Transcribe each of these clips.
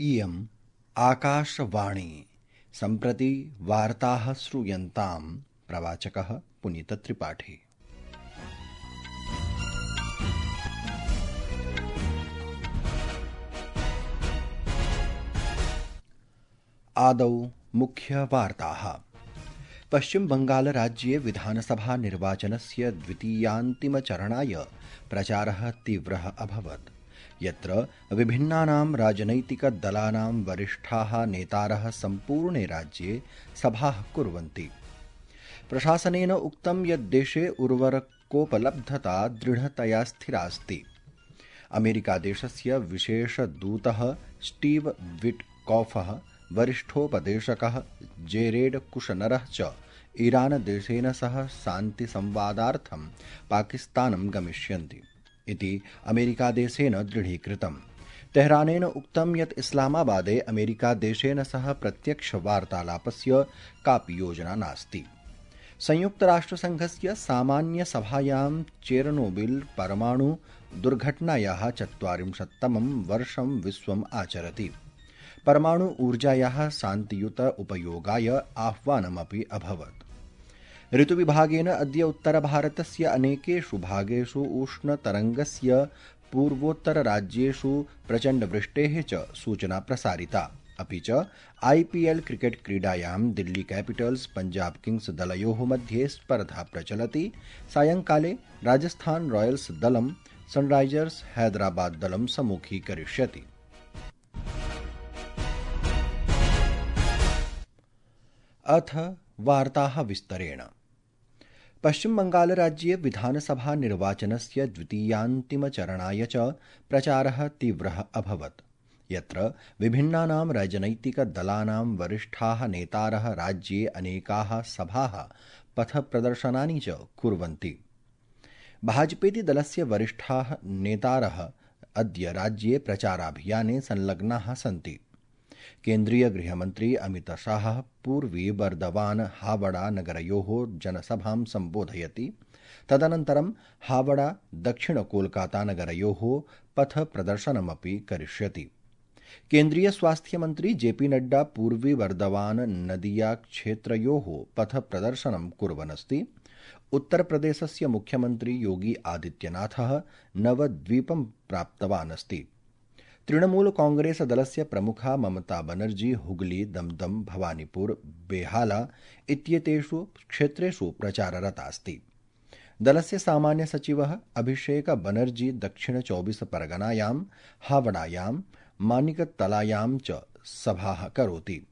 इयम् आकाशवाणी सम्प्रति वार्ताः श्रूयन्ताम् प्रवाचकः पुनीतत्रिपाठी। आदौ मुख्यवार्ताः। पश्चिम बंगाल राज्ये विधानसभा निर्वाचनस्य द्वितीयान्तिमचरणाय प्रचारः तीव्रः अभवत्, यत्र विभिन्नानां राजनैतिकदलानां वरिष्ठाः नेतारः सम्पूर्णे राज्ये सभाः कुर्वन्ति। प्रशासनेन उक्तं यत् देशे उर्वरकोपलब्धता दृढतया स्थिरास्ति। अमेरिकादेशस्य विशेषदूतः स्टीव विटकॉफः, वरिष्ठोपदेशकः जेरेड कुशनरः च ईरानदेशेन सह शान्तिसंवादार्थं पाकिस्तानं गमिष्यन्ति इति अमेरिकादेशेन दृढीकृतम्। तेहरानेन उक्तं यत् इस्लामाबादे अमेरिकादेशेन सह प्रत्यक्षवार्तालापस्य कापि योजना नास्ति। संयुक्तराष्ट्रसङ्घस्य सामान्यसभायां चेर्नोबिल परमाणु दुर्घटनायाः 40तमं वर्षं विश्वम् आचरति। परमाणु ऊर्जायाः शान्तियुत उपयोगाय आह्वानमपि अभवत्। ऋतुविभागेन अद्य उत्तरभारतस्य अनेकेषु भागेषु उष्णतरङ्गस्य पूर्वोत्तरराज्येषु प्रचण्डवृष्टेः च सूचना प्रसारिता। अपि च IPL क्रिकेट क्रीडायां दिल्ली कैपिटल्स पंजाब किंग्स दलयोः मध्ये स्पर्धा प्रचलति। सायंकाले राजस्थान रॉयल्स दलं सनराइजर्स हैदराबाद दलं सम्मुखीकरिष्यति। अथ वार्ताः विस्तरेण। पश्चिम बंगाल राज्ये विधानसभा निर्वाचनस्य द्वितीयान्तिमचरणाय च प्रचारः तीव्रः अभवत्, यत्र विभिन्नानां राजनैतिकदलानां वरिष्ठाः नेतारः राज्ये अनेकाः सभाः पथप्रदर्शनानि च कुर्वन्ति। भाजपेति दलस्य वरिष्ठाः नेतारः अद्य राज्ये प्रचाराभियाने संलग्नाः सन्ति। केन्द्रीय गृहमन्त्री अमित शाहः पूर्वी बर्दवान हावड़ा नगरयोः जनसभां सम्बोधयति। तदनन्तरं हावड़ा दक्षिण कोलकाता नगरयोः पथ प्रदर्शनमपि करिष्यति। केन्द्रीय स्वास्थ्य मंत्री JP नड्डा पूर्वी बर्दवान नदिया क्षेत्रयोः पथ प्रदर्शनं कुर्वन्नस्ति। उत्तरप्रदेशस्य मुख्यमंत्री योगी आदित्यनाथः नवद्वीपं प्राप्तवान् अस्ति। तृणमूल कांग्रेस दलस्य प्रमुखा ममता बनर्जी हुगली, दमदम, भवानीपुर, बेहाला इत्येतेषु क्षेत्रेषु प्रचाररता अस्ति। दलस्य सामान्य सचिवः अभिषेक बनर्जी दक्षिण 24 परगनायां, हावड़ायां, मानिकतलायां च सभाः करोति।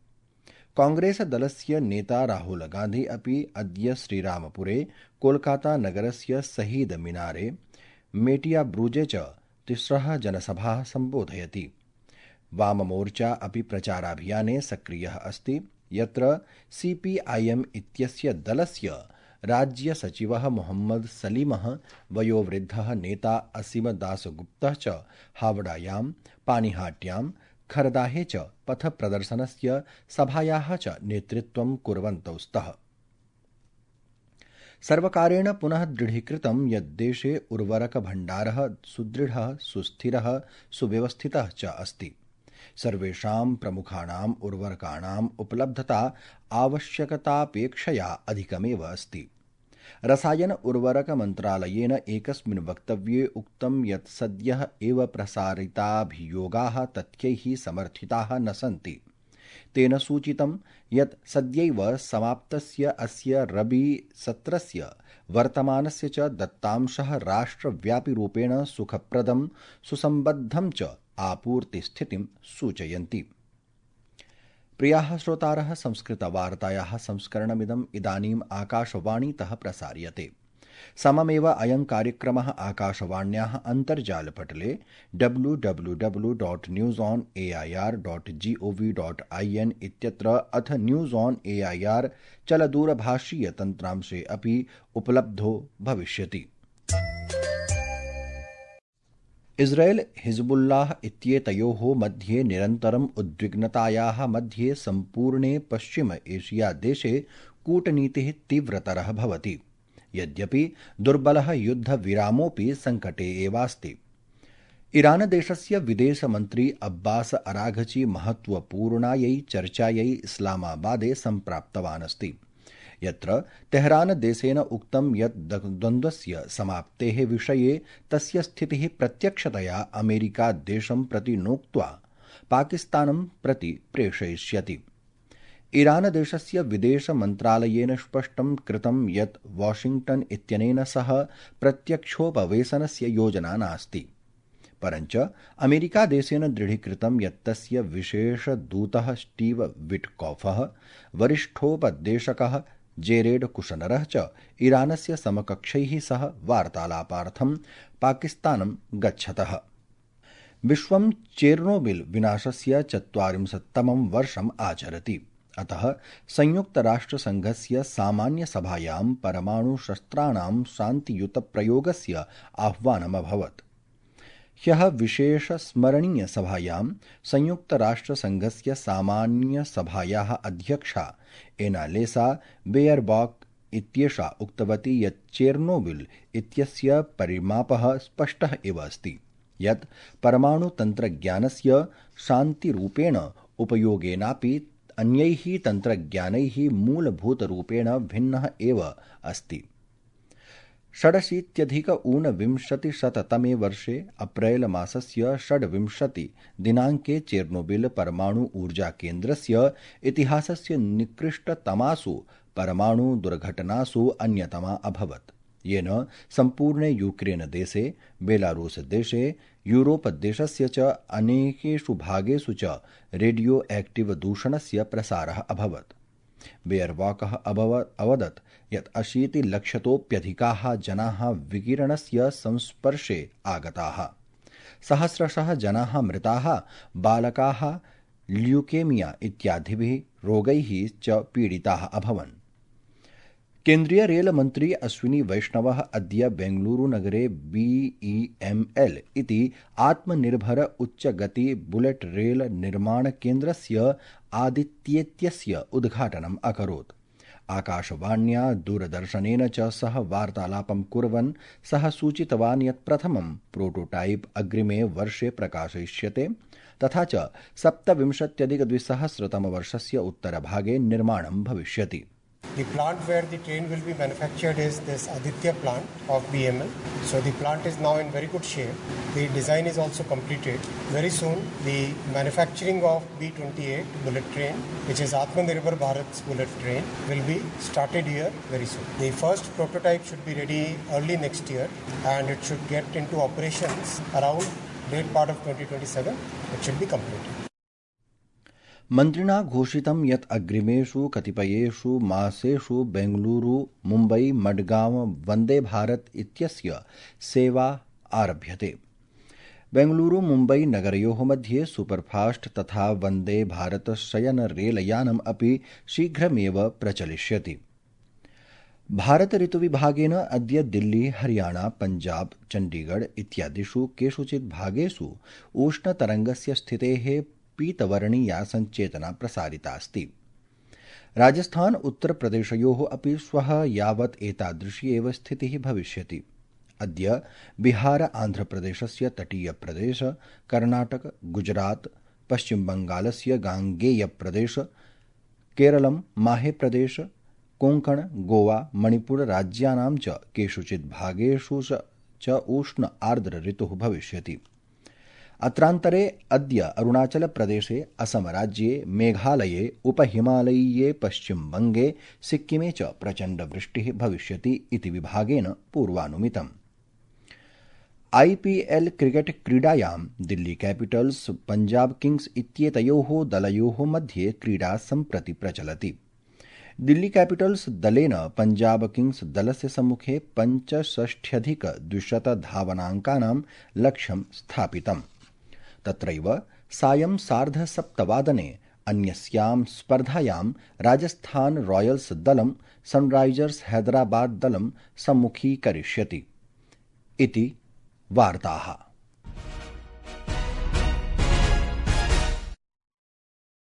कांग्रेस दलस्य नेता राहुल गांधी अपि अद्य श्रीरामपुरे, कोलकाता नगरस्य शहीद मिनारे, मेटिया ब्रूजे च तिस्रः जनसभाः सम्बोधयति। वाममोर्चा अपि प्रचाराभियाने सक्रियः अस्ति, यत्र CPIM इत्यस्य दलस्य राज्यसचिवः मोहम्मद सलीमः, वयोवृद्धः नेता असीम दासगुप्तः च हावड़ायां, पानीहाट्यां, खरदाहे च पथप्रदर्शनस्य सभायाः च नेतृत्वं कुर्वन्तौ स्तः। सर्वकारेण पुनः दृढीकृतं यत् देशे उर्वरकभण्डारः सुदृढः, सुस्थिरः, सुव्यवस्थितः च अस्ति। सर्वेषां प्रमुखाणाम् उर्वरकाणाम् उपलब्धता आवश्यकतापेक्षया अधिकमेव अस्ति। रसायन उर्वरक मन्त्रालयेन एकस्मिन् वक्तव्ये उक्तं यत् सद्यः एव प्रसारिताभियोगाः तथ्यैः समर्थिताः न सन्ति। तेन सूचितं यत् सद्यैव समाप्तस्य अस्य रबी सत्रस्य वर्तमानस्य च दत्तांशः राष्ट्रव्यापिरूपेण सुखप्रदं, सुसम्बद्धं च आपूर्तिस्थितिं सूचयन्ति। प्रियाः श्रोतारः, संस्कृतवार्तायाः संस्करणमिदम् इदानीम् आकाशवाणीतः प्रसार्यते। सममेव अयं कार्यक्रमः आकाशवाण्याः अन्तर्जालपटले www.newsonair.gov.in इत्यत्र अथ न्यूज़ ऑन AIR चलदूरभाषीयतन्त्रांशे अपि उपलब्धो भविष्यति। इस्राएल हिजबुल्लाह इत्येतयोः मध्ये निरन्तरम् उद्विग्नतायाः मध्ये सम्पूर्णे पश्चिम एशिया देशे कूटनीतिः तीव्रतरः भवति। यद्यपि दुर्बलः युद्धविरामोऽपि सङ्कटे एवास्ति। ईरानदेशस्य विदेशमन्त्री अब्बास अराघची महत्वपूर्णायै चर्चायै इस्लामाबादे सम्प्राप्तवान् अस्ति, यत्र तेहरानदेशेन उक्तं यत् द्वन्द्वस्य समाप्तेः विषये तस्य स्थितिः प्रत्यक्षतया अमेरिकादेशं प्रति नोक्त्वा पाकिस्तानं प्रति प्रेषयिष्यति। ईरानदेशस्य विदेशमन्त्रालयेन स्पष्टं कृतं यत् वाशिंग्टन इत्यनेन सह प्रत्यक्षोपवेशनस्य योजना नास्ति, परञ्च अमेरिकादेशेन दृढीकृतं यत् तस्य विशेषदूतः स्टीव विटकॉफः, वरिष्ठोपदेशकः जेरेड कुशनरः च ईरानस्य समकक्षैः सह वार्तालापार्थं पाकिस्तानं गच्छतः। विश्वं चेर्नोबिल विनाशस्य 40तमं वर्षम् आचरति, अतः संयुक्तराष्ट्रसङ्घस्य सामान्यसभायां परमाणुशस्त्राणां शान्तियुतप्रयोगस्य आह्वानमभवत्। ह्यः विशेषस्मरणीयसभायां संयुक्तराष्ट्रसङ्घस्य सामान्यसभायाः अध्यक्षा एनालेसा बेयरबॉक इत्येषा उक्तवती यत् चेर्नोबिल इत्यस्य परिमापः स्पष्टः एव अस्ति यत् परमाणुतन्त्रज्ञानस्य शान्तिरूपेण उपयोगेनापि अन्यैः तन्त्रज्ञानैः मूलभूतरूपेण भिन्नः एव अस्ति। 86-ऊनविंशतिशततमे वर्षे अप्रैल मासस्य 26 दिनाङ्के चेर्नोबिल परमाणु ऊर्जाकेन्द्रस्य इतिहासस्य निकृष्टतमासु परमाणु दुर्घटनासु अन्यतमा अभवत्, येन सम्पूर्णे यूक्रेन देशे, बेलारूस देशे, यूरोप देशस्य च अनेकेषु भागेषु च रेडियो एक्टिव दूषणस्य प्रसारः अभवत्। बेयरबॉकः अवदत् यत् 80 लक्षतोऽप्यधिकाः जनाः विकिरणस्य संस्पर्शे आगताः, सहस्रशः जनाः मृताः, बालकाः ल्यूकेमिया इत्यादिभिः रोगैः च पीडिताः अभवन्। केन्द्रीय रेलमन्त्री अश्विनी वैष्णवः अद्य बेंगलुरुनगरे BEML इति आत्मनिर्भर उच्चगति बुलेट रेल निर्माणकेन्द्रस्य आदित्येत्यस्य उद्घाटनम् अकरोत्। आकाशवाण्या दूरदर्शनेन च सह वार्तालापं कुर्वन् सः सूचितवान् यत् प्रथमं प्रोटोटाइप अग्रिमे वर्षे प्रकाशयिष्यते, तथा च 27-2000 उत्तरभागे निर्माणं भविष्यति। The plant where the train will be manufactured is this Aditya plant of BML. So the plant is now in very good shape. The design is also completed. Very soon the manufacturing of B28 bullet train, which is Atmanirbhar Bharat's bullet train, will be started here very soon. The first prototype should be ready early next year and it should get into operations around late part of 2027. It should be completed. मन्त्रिणा घोषितं यत् अग्रिमेषु कतिपयेषु मासेषु बेंगलुरु मुम्बई मडगांव वन्दे भारत इत्यस्य सेवा आरभ्यते। बेंगलुरु मुम्बई नगरयोः मध्ये superfast तथा वन्दे भारत शयन रेलयानम् अपि शीघ्रमेव प्रचलिष्यति। भारत ऋतुविभागेन अद्य दिल्ली, हरियाणा, पंजाब, चण्डीगढ़ इत्यादिषु केषुचित् भागेषु उष्णतरङ्गस्य स्थितेः पीतवर्णीया सञ्चेतना प्रसारिता अस्ति। राजस्थान उत्तरप्रदेशयोः अपि श्वः यावत् एतादृशी एव स्थितिः भविष्यति। अद्य बिहार आन्ध्रप्रदेशस्य तटीयप्रदेश, कर्णाटक, गुजरात, पश्चिमबङ्गालस्य गाङ्गेयप्रदेश, केरलं, माहेप्रदेश, कोङ्कण, गोवा, मणिपुर राज्यानां च केषुचित् भागेषु च उष्ण आर्द्र ऋतुः भविष्यति। अत्रान्तरे अद्य अरुणाचलप्रदेशे, असमराज्ये, मेघालये, उपहिमालयीये पश्चिमबङ्गे, सिक्किमे च प्रचण्डवृष्टिः भविष्यति इति विभागेन पूर्वानुमितम्। IPL क्रिकेट क्रीडायां दिल्ली कैपिटल्स पंजाब किंग्स इत्येतयोः दलयोः मध्ये क्रीडा सम्प्रति प्रचलति। दिल्ली कैपिटल्स दलेन पंजाब किंग्स दलस्य सम्मुखे 65,200 धावनाङ्कानां लक्ष्यं स्थापितम्। तत्रैव सायं 7:30 अन्यस्यां स्पर्धायां राजस्थान रॉयल्स दलं सनराइजर्स हैदराबाद दलं सम्मुखीकरिष्यति इति वार्ताः।